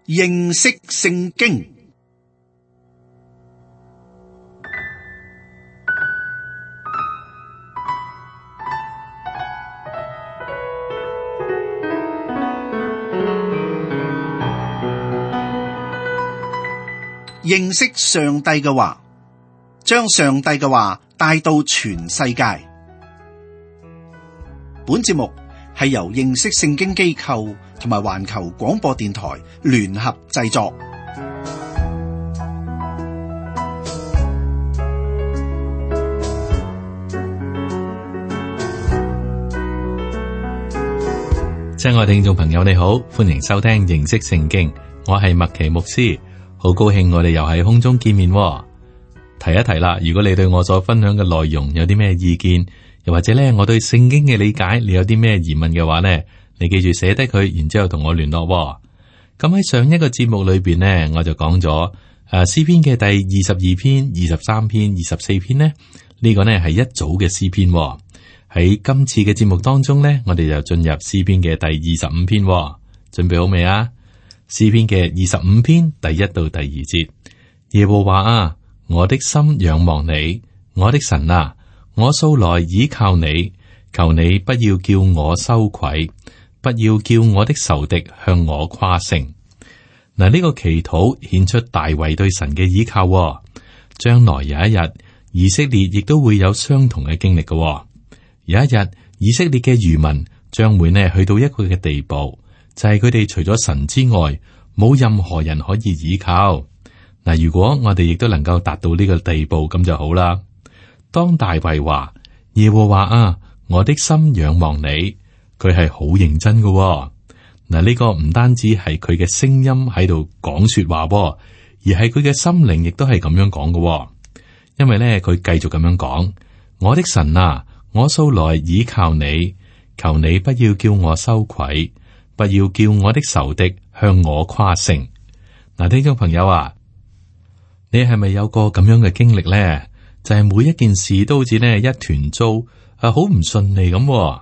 認識聖經。認識上帝嘅話，將上帝嘅話帶到全世界。本節目係由認識聖經機構同埋環球廣播電台聯合製作。親愛聽眾朋友，你好，歡迎收聽認識聖經，我係麥奇牧師。好高興我哋又喺空中見面喎。提一提啦，如果你對我所分享嘅內容有啲咩意見，又或者咧我對聖經嘅理解，你有啲咩疑問嘅話呢，你記住寫低佢，然之後同我聯絡喎。咁喺上一個節目裏邊呢，我就講咗詩篇嘅第22篇、23篇、24篇呢，呢個呢係一組嘅詩篇喎。喺今次嘅節目當中呢，我哋就進入詩篇嘅第25篇喎。準備好未啊？詩篇嘅25篇第1到第2節，耶和華啊，我的心仰望你，我的神啊，我素來倚靠你，求你不要叫我羞愧，不要叫我的仇敵向我誇勝。嗱，呢個祈禱顯出大衛對神嘅倚靠喎。將來有一日，以色列亦都會有相同嘅經歷嘅喎。有一日，以色列嘅餘民將會呢去到一個嘅地步，就係佢哋除咗神之外，冇任何人可以倚靠。嗱，如果我哋亦都能夠達到呢個地步，咁就好啦。當大衛話耶和華啊，我的心仰望你，佢係好認真嘅喎。嗱，呢個唔單止係佢嘅聲音喺度講說話喎，而係佢嘅心靈亦都係咁樣講嘅喎。因為咧，佢繼續咁樣講，我的神啊，我素來倚靠你，求你不要叫我羞愧，不要叫我的仇敵向我誇勝。嗱，聽眾朋友啊，你係咪有個咁樣嘅經歷咧？就係每一件事都好似呢一團糟，好唔順利咁。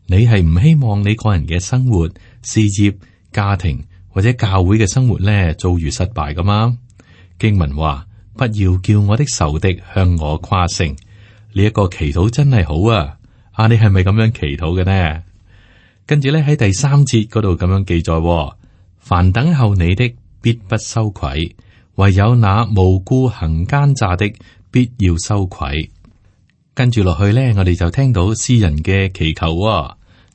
你係唔希望你個人嘅生活、事業、家庭或者教會嘅生活咧遭遇失敗噶嘛？經文話，不要叫我的仇敵向我誇勝。呢一個祈禱真係好啊！你係咪咁樣祈禱嘅呢？跟住咧喺第3節嗰度咁樣記載，凡等候你的必不羞愧，唯有那無故行奸詐的必要羞愧。跟住落去咧，我哋就聽到詩人嘅祈求，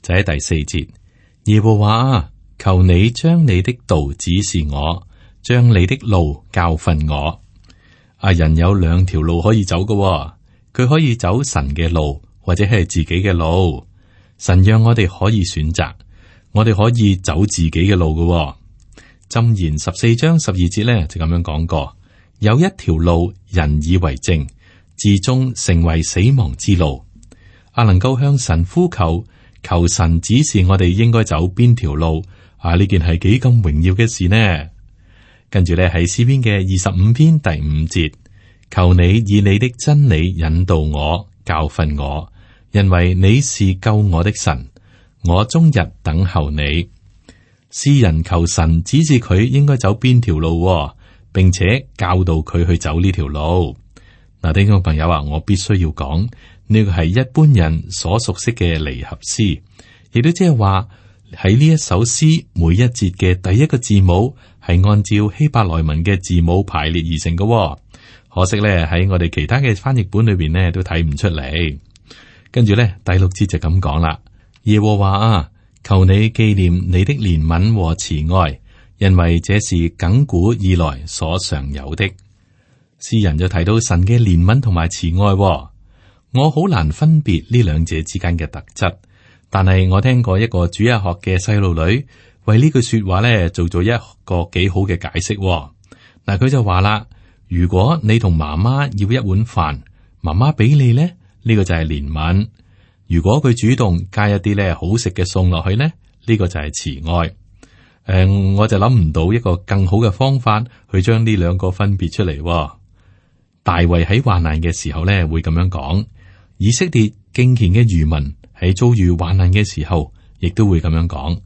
就喺第4節，耶和華啊，求你將你的道指示我，將你的路教訓我。人有2條路可以走嘅，佢可以走神嘅路，或者係自己嘅路。神讓我哋可以選擇，我哋可以走自己嘅路嘅。箴言14章12節咧就咁樣講過，有一條路人以為正，至終成為死亡之路。能夠向神呼求，求神指示我哋應該走邊條路，呢件係幾咁榮耀嘅事呢？跟住咧喺詩篇嘅25篇第5節，求你以你的真理引導我，教訓我，因為你是救我的神，我終日等候你。詩人求神指示佢應該走邊條路，並且教導佢去走呢條路。嗱，聽眾朋友啊，我必須要講呢個係一般人所熟悉嘅離合詩，亦都即係話喺呢一首詩每一節嘅第一個字母係按照希伯來文嘅字母排列而成嘅。可惜咧喺我哋其他嘅翻譯本裏邊呢都睇唔出嚟。跟住咧第6節就咁講啦，耶和華啊，求你紀念你的憐憫和慈愛，因為這是亙古以來所常有的。詩人就提到神嘅憐憫同埋慈愛，我好難分別呢兩者之間嘅特質，但係我聽過一個主日學嘅細路女為呢句說話咧做咗一個幾好嘅解釋。嗱，佢就話啦，如果你同媽媽要一碗飯，媽媽俾你咧，呢個就係憐憫；如果佢主動加一啲咧好食嘅餸落去咧，呢個就係慈愛。我就諗唔到一個更好嘅方法去將呢兩個分別出嚟。大衛喺患難嘅時候咧會咁樣講，以色列敬虔嘅餘民喺遭遇患難嘅時候，亦都會咁樣講。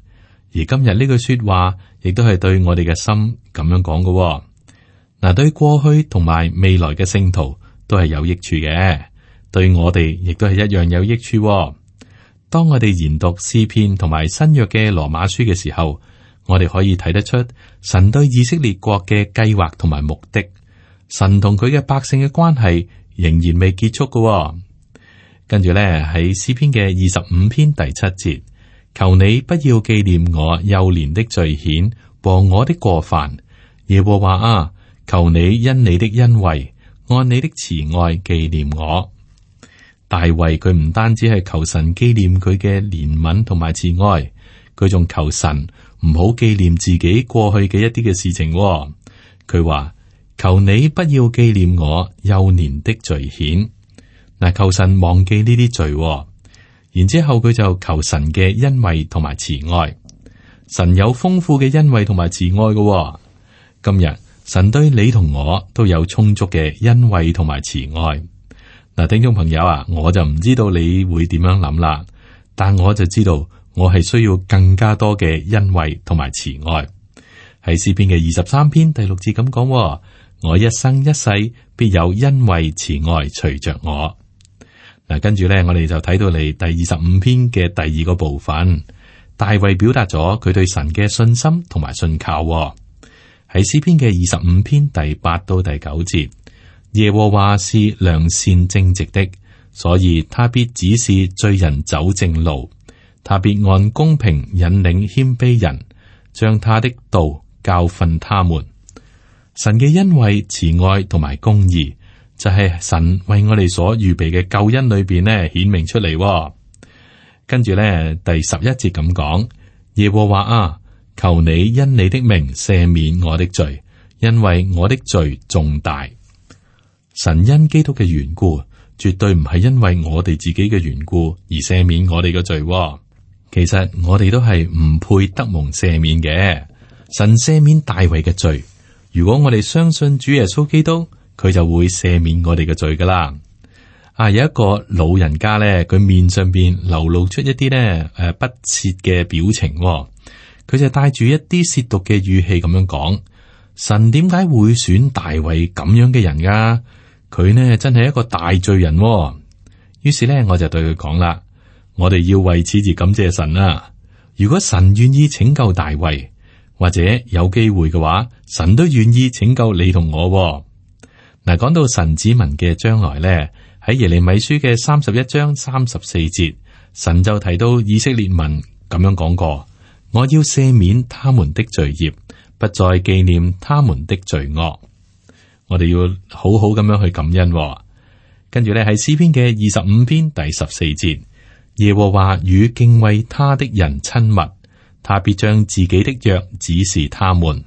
而今日呢句說話，亦都係對我哋嘅心咁樣講嘅。嗱，對過去同埋未來嘅聖徒都係有益處嘅，對我哋亦都係一樣有益處。當我哋研讀詩篇同埋新約嘅羅馬書嘅時候，我哋可以睇得出神對以色列國嘅計劃同埋目的。神同佢嘅百姓嘅關係仍然未結束嘅。跟住咧，喺詩篇嘅25篇第7節，求你不要紀念我幼年的罪愆和我的過犯，耶和華啊，求你因你的恩惠按你的慈愛紀念我。大衛佢唔單止係求神紀念佢嘅憐憫同埋慈愛，佢仲求神唔好紀念自己過去嘅一啲嘅事情。佢話，求你不要紀念我幼年的罪愆。嗱，求神忘記呢啲罪。然之後佢就求神嘅恩惠同埋慈愛。神有豐富嘅恩惠同埋慈愛嘅。今日神對你同我都有充足嘅恩惠同埋慈愛。嗱，聽眾朋友啊，我就唔知道你會點樣諗啦，但我就知道我係需要更加多嘅恩惠同埋慈愛。喺詩篇嘅23篇第6節咁講，我一生一世必有恩惠慈愛隨着我。嗱，跟住咧，我哋就睇到嚟第25篇嘅第2個部分，大衛表達咗佢對神嘅信心同埋信靠。喺詩篇嘅25篇第8到第9節。耶和華是良善正直的，所以他必指示罪人走正路，他必按公平引領謙卑人，將他的道教訓他們。神嘅恩惠、慈愛同埋公義，就係神為我哋所預備嘅救恩裏邊呢顯明出嚟。跟住呢，第11節咁講，耶和華啊，求你因你的名赦免我的罪，因為我的罪重大。神因基督嘅緣故，絕對唔係因為我哋自己嘅緣故而赦免我哋嘅罪。其實我哋都係唔配得蒙赦免嘅。神赦免大衛嘅罪，如果我哋相信主耶穌基督，佢就會赦免我哋嘅罪噶啦。有一個老人家咧，佢面上邊流露出一啲咧不屑嘅表情。佢就帶住一啲褻瀆嘅語氣咁樣講：神點解會選大衛咁樣嘅人噶？佢呢真係一個大罪人。於是呢，我就對佢講啦：我哋要為此而感謝神啊！如果神願意拯救大衛，或者有機會嘅話，神都願意拯救你同我。嗱，講到神子民嘅將來呢，喺耶利米書嘅31章34節，神就提到以色列民咁樣講過：我要赦免他們的罪孽，不再紀念他們的罪惡。我哋要好好咁樣去感恩。跟住咧，喺詩篇嘅25篇第14節，耶和華與敬畏他的人親密，他必將自己的約指示他們。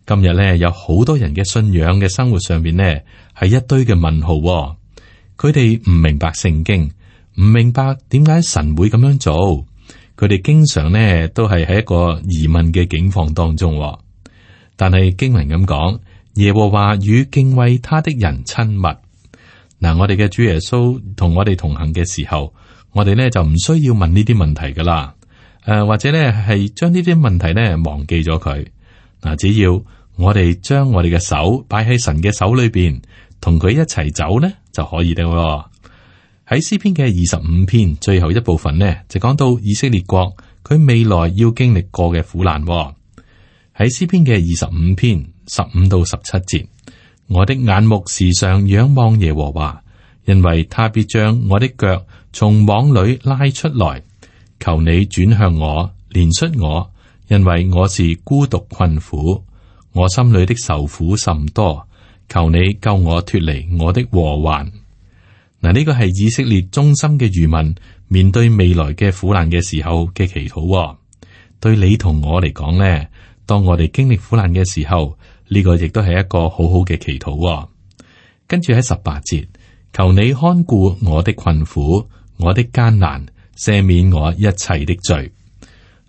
今日咧，有好多人嘅信仰嘅生活上邊呢，係一堆嘅問號。佢哋唔明白聖經，唔明白點解神會咁樣做。佢哋經常呢都係喺一個疑問嘅境況當中。但係經文咁講，耶和華與敬畏他的人親密。嗱，我哋嘅主耶穌同我哋同行嘅時候，我哋呢就唔需要問呢啲問題噶啦。或者呢係將呢啲問題呢忘記咗佢。嗱，只要我哋將我哋嘅手擺喺神嘅手裏邊，同佢一齊走呢就可以啦。喺詩篇嘅25篇最後一部分呢，就講到以色列國佢未來要經歷過嘅苦難。喺詩篇嘅25篇15到17節，我的眼目時常仰望耶和華，因為他必將我的腳從網裏拉出來。求你轉向我，憐恤我，因為我是孤獨困苦，我心裏的愁苦甚多。求你救我脫離我的禍患。嗱，呢個係以色列忠心嘅餘民面對未來嘅苦難嘅時候嘅祈禱。對你同我嚟講呢，當我哋經歷苦難嘅時候，呢個亦都係一個好好嘅祈禱。跟住喺18節，求你看顧我的困苦，我的艱難，赦免我一切的罪。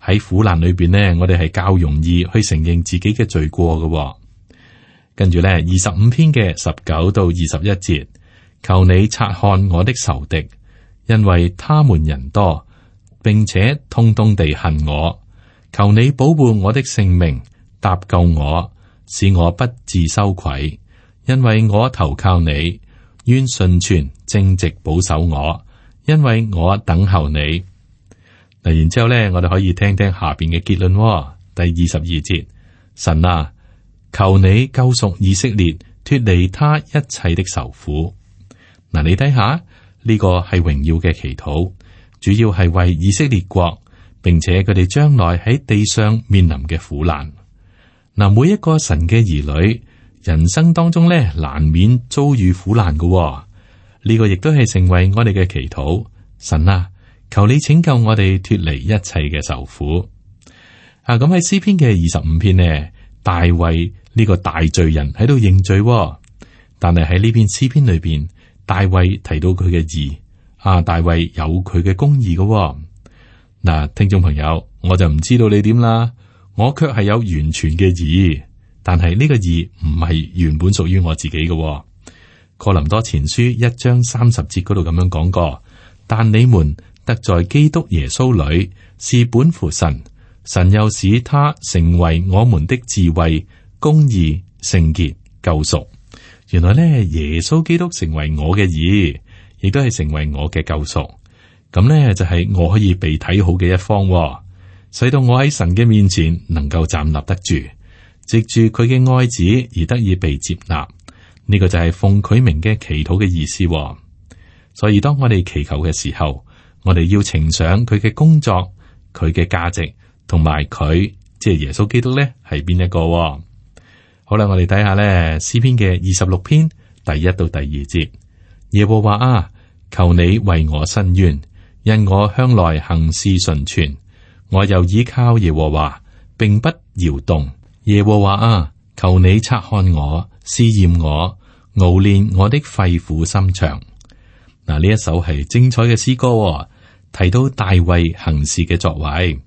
喺苦難裏邊呢，我哋係較容易去承認自己嘅罪過嘅。跟住呢，25篇嘅19到21節，求你察看我的仇敵，因為他們人多，並且通通地恨我。求你保護我的性命，搭救我，使我不致羞愧，因為我投靠你。願順全正直保守我，因為我等候你。嗱，然之後咧，我哋可以聽聽下邊嘅結論。第22節，神啊，求你救贖以色列，脫離他一切的愁苦。嗱，你睇下呢個係榮耀嘅祈禱，主要係為以色列國，並且佢哋將來喺地上面臨嘅苦難。嗱，每一個神嘅兒女，人生當中咧，難免遭遇苦難嘅。呢個亦都係成為我哋嘅祈禱。神啊，求你拯救我哋脫離一切嘅愁苦。咁喺詩篇嘅25篇呢，大衛呢個大罪人喺度認罪，但係喺呢篇詩篇裏邊，大衛提到佢嘅義。大衛有佢嘅公義嘅。嗱，聽眾朋友，我就唔知道你點啦，我卻係有完全嘅義，但係呢個義唔係原本屬於我自己嘅。哥林多前書1章30節嗰度咁樣講過，但你們得在基督耶穌裏是本乎神，神又使他成為我們的智慧、公義、聖潔、救贖。原來咧，耶穌基督成為我嘅義，亦都係成為我嘅救贖。咁咧就係我可以被睇好嘅一方，使到我喺神嘅面前能夠站立得住，藉住佢嘅愛子而得以被接納。呢個就係奉佢名嘅祈禱嘅意思。所以當我哋祈求嘅時候，我哋要呈上佢嘅工作、佢嘅價值同埋佢，即係耶穌基督咧係邊一個。好啦，我哋睇下咧詩篇嘅26篇第1到第2節。耶和華啊，求你為我伸冤，因我向來行事純全，我又倚靠耶和華，並不搖動。耶和華啊，求你察看我，試驗我，熬煉我的肺腑心腸。嗱，呢一首係精彩嘅詩歌，提到大衛行事嘅作為。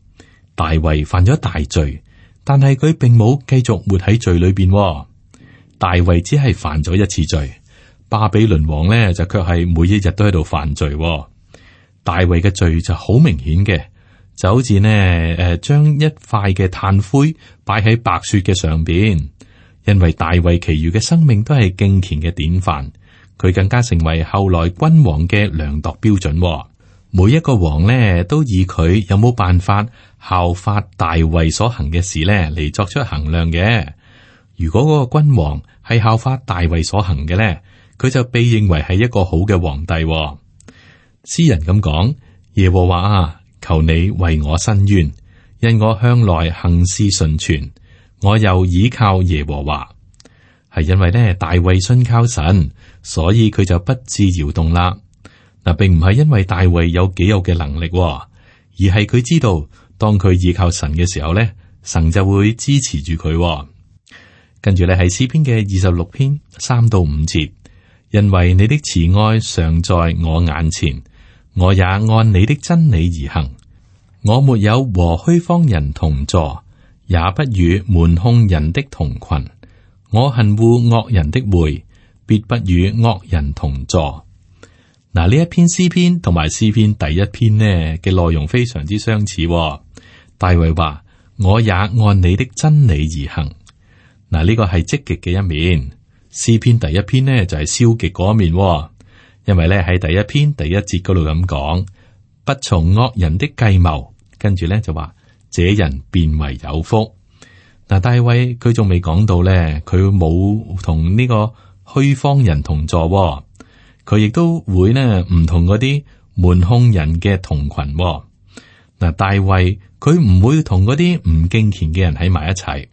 大衛犯咗大罪，但係佢並冇繼續活喺罪裏邊。大衛只係犯咗一次罪，巴比倫王呢就卻係每一日都喺度犯罪。大衛嘅罪就好明顯嘅，就好似呢將一塊嘅炭灰擺喺白雪嘅上邊。因為大衛其餘嘅生命都係敬虔嘅典範，佢更加成為後來君王嘅量度標準。每一個王呢，都以佢有冇辦法效法大衛所行嘅事呢嚟作出衡量嘅。如果嗰個君王係效法大衛所行嘅呢，佢就被認為係一個好嘅皇帝。詩人咁講：耶和華啊，求你為我伸冤，因我向來行事純全。我又倚靠耶和華，係因為咧大衛信靠神，所以佢就不致搖動啦。嗱，並唔係因為大衛有幾有嘅能力，而係佢知道當佢倚靠神嘅時候咧，神就會支持住佢。跟住咧係詩篇嘅26篇3到5節，因為你的慈愛常在我眼前，我也按你的真理而行。我沒有和虛謊人同坐，也不與瞞哄人的同群。我恨惡惡人的會，必不與惡人同坐。嗱，呢一篇詩篇同埋詩篇第1篇呢嘅內容非常之相似。大衛話：我也按你的真理而行。嗱，呢個係積極嘅一面。詩篇第1篇呢就係消極嗰一面。因為咧喺第1篇第1節嗰度咁講，不從惡人的計謀，跟住咧就話。這人便為有福。嗱，大衛佢仲未講到咧，佢冇同呢個虛謊人同坐，佢亦都會呢唔同嗰啲瞞哄人嘅同群。嗱，大衛佢唔會同嗰啲唔敬虔嘅人喺埋一齊。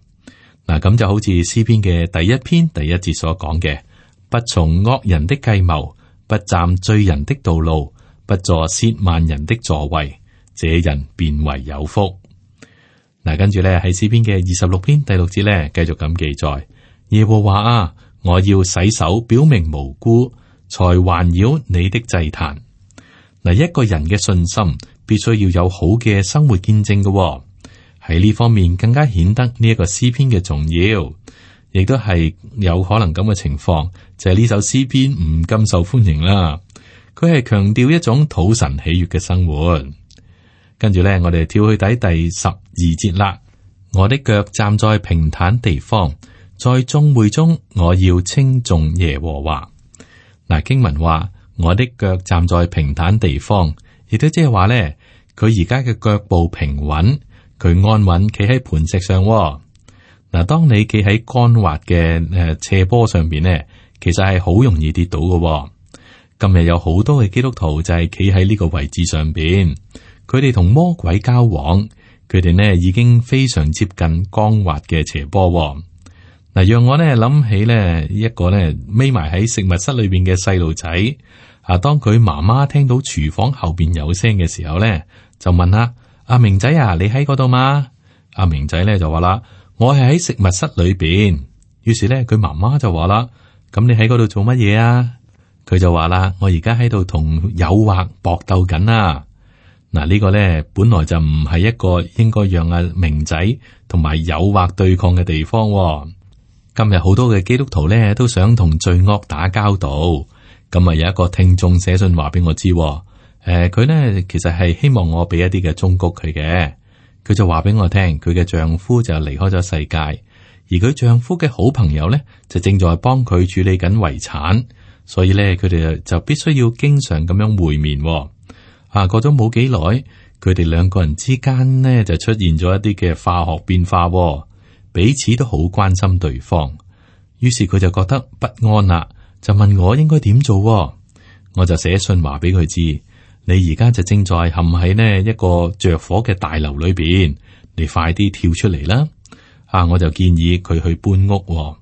嗱，咁就好似詩篇嘅第1篇第1節所講嘅，不從惡人的計謀，不站罪人的道路，不坐褻慢人的座位，這人便為有福。嗱，跟住咧喺詩篇嘅26篇第6節咧，繼續咁記載：耶和華啊，我要洗手表明無辜，才環繞你的祭壇。嗱，一個人嘅信心必須要有好嘅生活見證嘅，喺呢方面更加顯得呢一個詩篇嘅重要，亦都係有可能咁嘅情況，就係呢首詩篇唔咁受歡迎啦。佢係強調一種討神喜悅嘅生活。跟住咧，我哋跳去第12節啦。我的腳站在平坦地方，在眾會中我要稱頌耶和華。嗱，經文話我的腳站在平坦地方，亦都即係話咧，佢而家嘅腳步平穩，佢安穩企喺磐石上。嗱，當你企喺乾滑嘅斜坡上邊咧，其實係好容易跌倒嘅。今日有好多嘅基督徒就係企喺呢個位置上邊，佢哋同魔鬼交往，佢哋呢已經非常接近光滑嘅斜坡。嗱，讓我呢諗起呢一個呢匿埋喺食物室裏邊嘅細路仔。當佢媽媽聽到廚房後邊有聲嘅時候呢，就問啦：阿明仔啊，你喺嗰度嗎？阿明仔呢就話啦：我係喺食物室裏邊。於是呢，佢媽媽就話啦：咁你喺嗰度做乜嘢啊？佢就話啦：我而家喺度同誘惑搏鬥緊啊！嗱，呢個咧本來就唔係一個應該讓阿明仔同埋誘惑對抗嘅地方。今日好多嘅基督徒咧都想同罪惡打交道。咁啊，有一個聽眾寫信話俾我知，佢咧其實係希望我俾一啲嘅忠告佢嘅。佢就話俾我聽，佢嘅丈夫就離開咗世界，而佢丈夫嘅好朋友咧就正在幫佢處理緊遺產。所以咧，佢哋就必須要經常咁樣會面。過咗冇幾耐，佢哋兩個人之間呢就出現咗一啲嘅化學變化，彼此都好關心對方。於是佢就覺得不安啦，就問我應該點做。我就寫信話俾佢知，你而家就正在陷喺呢一個着火嘅大樓裏邊，你快啲跳出嚟啦。我就建議佢去搬屋。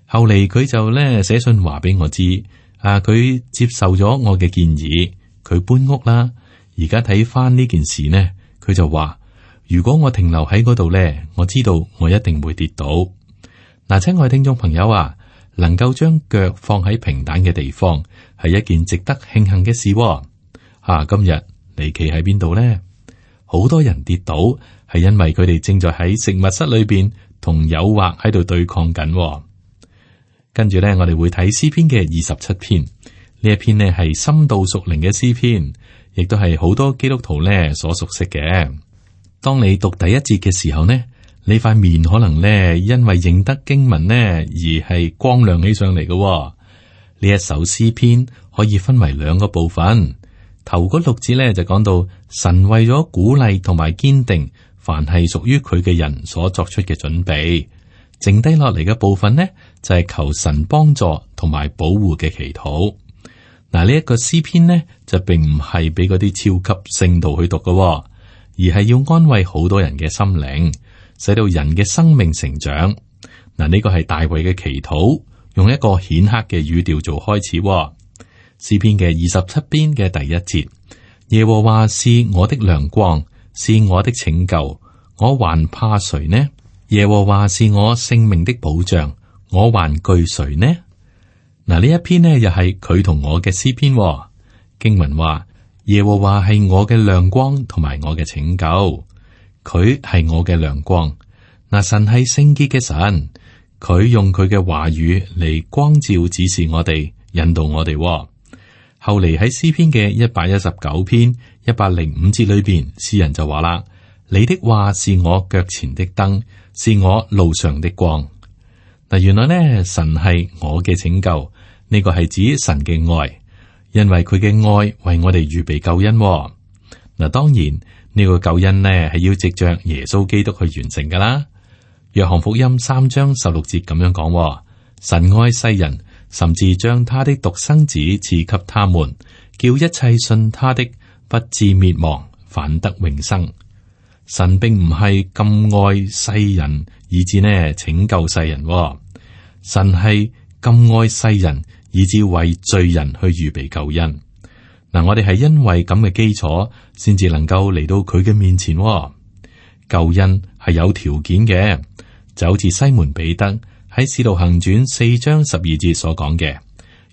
後嚟佢就咧寫信話俾我知。佢接受咗我嘅建議，佢搬屋啦。而家睇翻呢件事呢，佢就話：如果我停留喺嗰度呢，我知道我一定會跌倒。嗱，親愛聽眾朋友啊，能夠將腳放喺平坦嘅地方，係一件值得慶幸嘅事。今日你企喺邊度呢？好多人跌倒，係因為佢哋正在喺食物室裏邊同誘惑喺度對抗緊。跟住咧，我哋會睇詩篇嘅27篇，呢一篇呢係深度屬靈嘅詩篇，亦都係好多基督徒呢所熟悉嘅。當你讀第一節嘅時候呢，你塊面可能呢因為認得經文呢而係光亮起上嚟嘅。呢一首詩篇可以分為兩個部分，頭嗰6節呢就講到神為咗鼓勵同埋堅定凡係屬於佢嘅人所作出嘅準備。剩低落嚟嘅部分呢，就係求神幫助同埋保護嘅祈禱。嗱，呢一個詩篇呢，就並唔係俾嗰啲超級聖徒去讀嘅，而係要安慰好多人嘅心靈，使到人嘅生命成長。嗱，呢個係大衛嘅祈禱，用一個顯赫嘅語調做開始。詩篇嘅27篇嘅第1節：耶和華是我的亮光，是我的拯救，我還怕誰呢？耶和華是我性命的保障，我還懼誰呢？嗱，呢一篇呢又係佢同我嘅詩篇。經文話：耶和華係我嘅亮光同埋我嘅拯救，佢係我嘅亮光。嗱，神係聖潔嘅神，佢用佢嘅話語嚟光照指示我哋，引導我哋。後嚟喺詩篇嘅119篇105節裏邊，詩人就話啦：你的話是我腳前的燈，是我路上的光。嗱，原來呢，神係我嘅拯救，呢個係指神嘅愛，因為佢嘅愛為我哋預備救恩。嗱，當然呢個救恩呢係要藉着耶穌基督去完成噶啦。約翰福音3章16節咁樣講：神愛世人，甚至將他的獨生子賜給他們，叫一切信他的不至滅亡，反得永生。神並唔係咁愛世人，以致呢拯救世人。神係咁愛世人，以致為罪人去預備救恩。嗱，我哋係因為咁嘅基礎，先至能夠嚟到佢嘅面前。救恩係有條件嘅，就好似西門彼得喺使徒行傳4章12節所講嘅：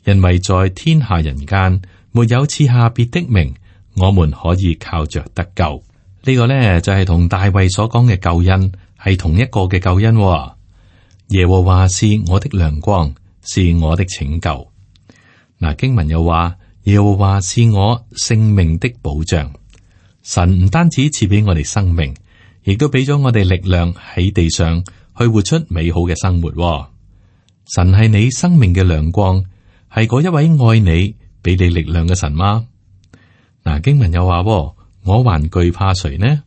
因為在天下人間沒有賜下別的名，我們可以靠着得救。呢個呢，就係同大衛所講嘅救恩係同一個嘅救恩。耶和華是我的亮光，是我的拯救。嗱，經文又話耶和華是我性命的保障。神唔單止賜俾我哋生命，亦都俾咗我哋力量喺地上去活出美好嘅生活。神係你生命嘅亮光，係嗰一位愛你、俾你力量嘅神嗎？嗱，經文又話，我還懼怕誰呢？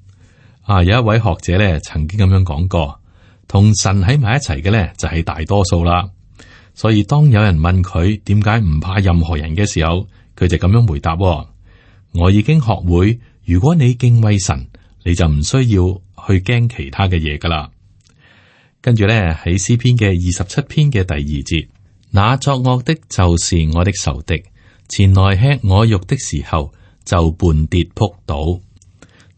有一位學者咧，曾經咁樣講過，同神喺埋一齊嘅咧，就係大多數啦。所以當有人問佢點解唔怕任何人嘅時候，佢就咁樣回答：我已經學會，如果你敬畏神，你就唔需要去驚其他嘅嘢噶啦。跟住咧，喺詩篇嘅27篇嘅第2節，那作惡的就是我的仇敵，前來吃我肉的時候就絆跌仆倒。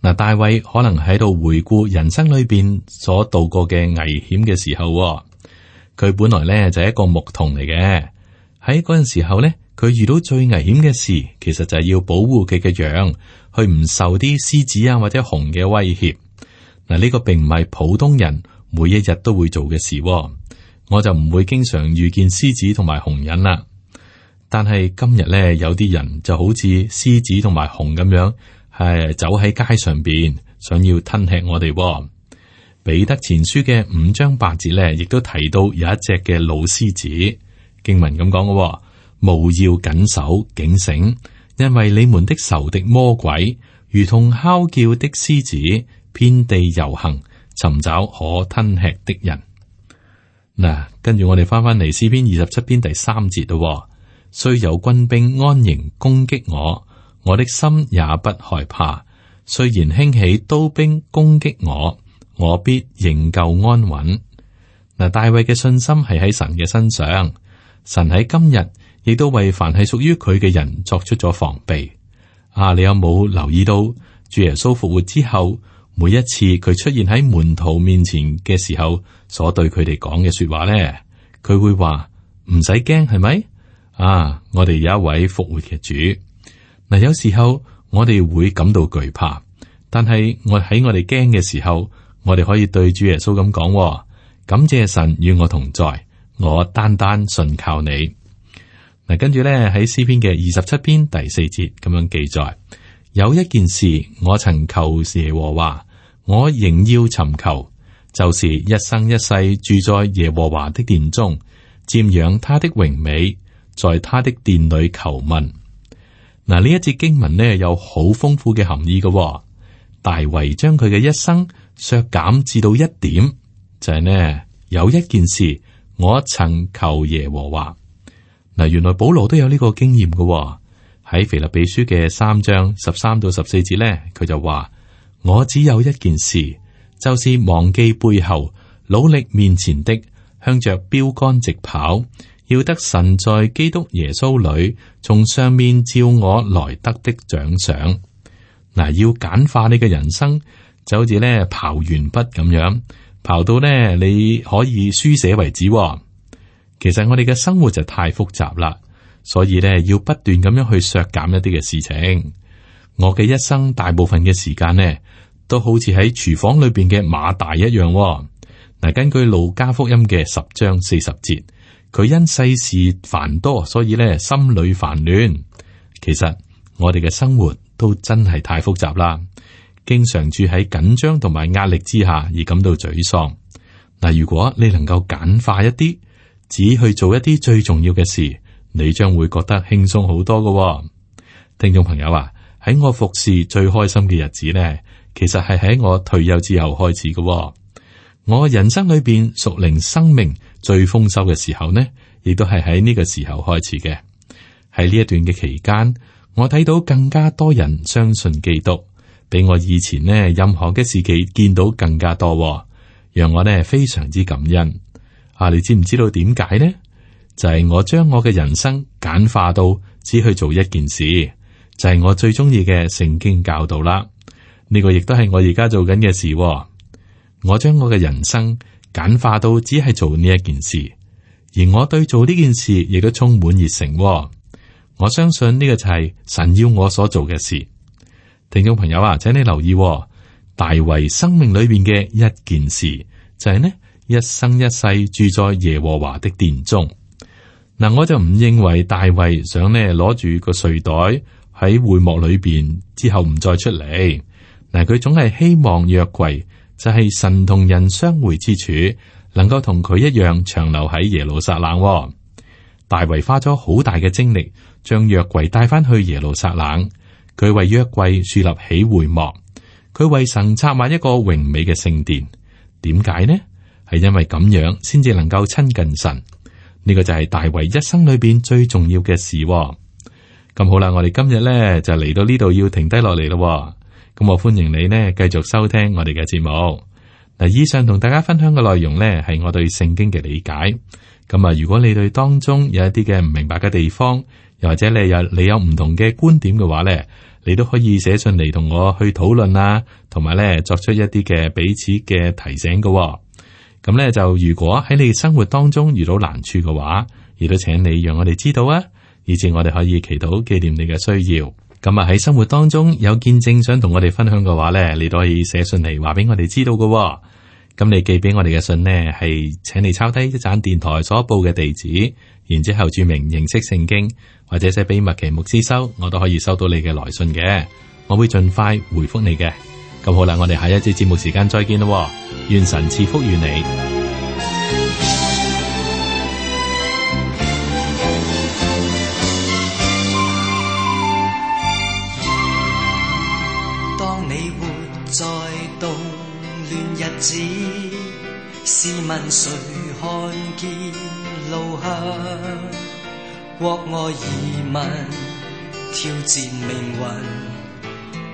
嗱，大衛可能喺度回顧人生裏邊所度過嘅危險嘅時候，佢本來咧就係一個牧童嚟嘅。喺嗰陣時候咧，佢遇到最危險嘅事，其實就係要保護佢嘅羊，去唔受啲獅子啊或者熊嘅威脅。嗱，呢個並唔係普通人每一日都會做嘅事，我就唔會經常遇見獅子同埋熊人啦。但係今日咧，有啲人就好似獅子同埋熊咁樣，係走喺街上邊，想要吞吃我哋。彼得前書嘅5章8節咧，亦都提到有一隻嘅老獅子。經文咁講嘅，務要謹守警醒，因為你們的仇敵魔鬼如同哮叫的獅子，遍地遊行，尋找可吞吃的人。嗱，跟住我哋翻嚟詩篇27篇第3節咯。雖有軍兵安營攻擊我，我的心也不害怕。雖然興起刀兵攻擊我，我必仍舊安穩。嗱，大衛嘅信心係喺神嘅身上，神喺今日亦都為凡係屬於佢嘅人作出咗防備。你有冇留意到主耶穌復活之後，每一次佢出現喺門徒面前嘅時候，所對佢哋講嘅說話咧？佢會話唔使驚，係咪？我哋有一位復活嘅主。嗱，有時候我哋會感到懼怕，但係我哋驚嘅時候，我哋可以對主耶穌咁講：感謝神與我同在，我單單信靠你。嗱，跟住咧喺詩篇嘅27篇第4節咁樣記載：有一件事我曾求耶和華，我仍要尋求，就是一生一世住在耶和華的殿中，瞻仰他的榮美，在他的殿裏求問。嗱，呢一節經文呢，有好豐富嘅含義嘅。大衛將佢嘅一生削減至到一點，就係呢，有一件事我曾求耶和華。嗱，原來保羅都有呢個經驗嘅。喺腓立比書嘅3章13到14節呢，佢就話：我只有一件事，就是忘記背後，努力面前的，向着標竿直跑，要得神在基督耶穌裏從上面召我來得的獎賞。嗱，要簡化你嘅人生，就好似咧刨完筆咁樣，刨到咧你可以書寫為止。其實我哋嘅生活就太複雜啦，所以咧要不斷咁樣去削減一啲嘅事情。我嘅一生大部分嘅時間呢，都好似喺廚房裏邊嘅馬大一樣。嗱，根據路加福音嘅10章40節，佢因世事繁多，所以咧心裏煩亂。其實我哋嘅生活都真係太複雜啦，經常住喺緊張同埋壓力之下而感到沮喪。嗱，如果你能夠簡化一啲，只去做一啲最重要嘅事，你將會覺得輕鬆好多㗎。聽眾朋友啊，喺我服侍最開心嘅日子呢，其實係喺我退休之後開始㗎。我人生裏邊屬靈生命最豐收嘅時候呢，亦都係喺呢個時候開始嘅。喺呢一段嘅期間，我睇到更加多人相信基督，比我以前呢任何嘅時期見到更加多，讓我呢非常之感恩。你知唔知道點解呢？就係我將我嘅人生簡化到只去做一件事，就係我最中意嘅聖經教導啦。呢個亦都係我而家做緊嘅事。我將我嘅人生簡化到只係做呢一件事，而我對做呢件事亦都充滿熱誠。我相信呢個就係神要我所做嘅事。聽眾朋友啊，請你留意，大衛生命裏邊嘅一件事就係呢，一生一世住在耶和華的殿中。嗱，我就唔認為大衛想呢攞住個睡袋喺會幕裏邊之後唔再出嚟。嗱，佢總係希望約櫃就係神同人相會之處，能夠同佢一樣長留喺耶路撒冷。大衛花咗好大嘅精力，將約櫃帶翻去耶路撒冷。佢為約櫃樹立起會幕，佢為神策劃一個榮美嘅聖殿。點解呢？係因為咁樣先至能夠親近神。呢個就係大衛一生裏邊最重要嘅事。咁好啦，我哋今日咧就嚟到呢度要停低落嚟咯。咁我歡迎你呢繼續收聽我哋嘅節目。嗱，以上同大家分享嘅內容呢係我對聖經嘅理解。咁啊，如果你對當中有一啲嘅唔明白嘅地方，又或者你有唔同嘅觀點嘅話呢，你都可以寫信嚟同我去討論啊，同埋呢作出一啲嘅彼此嘅提醒嘅。咁咧就如果喺你生活當中遇到難處嘅話，亦都請你讓我哋知道啊，以至我哋可以祈禱紀念你嘅需要。咁啊喺生活當中有見證想同我哋分享嘅話咧，你都可以寫信嚟話俾我哋知道嘅。咁你寄俾我哋嘅信呢，係請你抄低一盞電台所報嘅地址，然之後注明認識聖經，或者寫俾麥奇牧師收，我都可以收到你嘅來信嘅，我會盡快回覆你嘅。咁好啦，我哋下一節節目時間再見咯，願神賜福於你。當你活在動亂日子，試問誰看見路向？國外移民挑戰命運，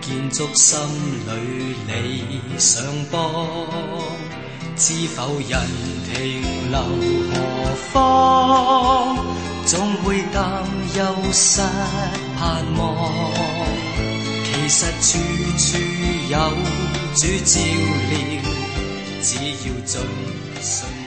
建築心裏理想邦，知否人停留何方？總會擔憂失盼望，其實處處有主照料，只要盡信。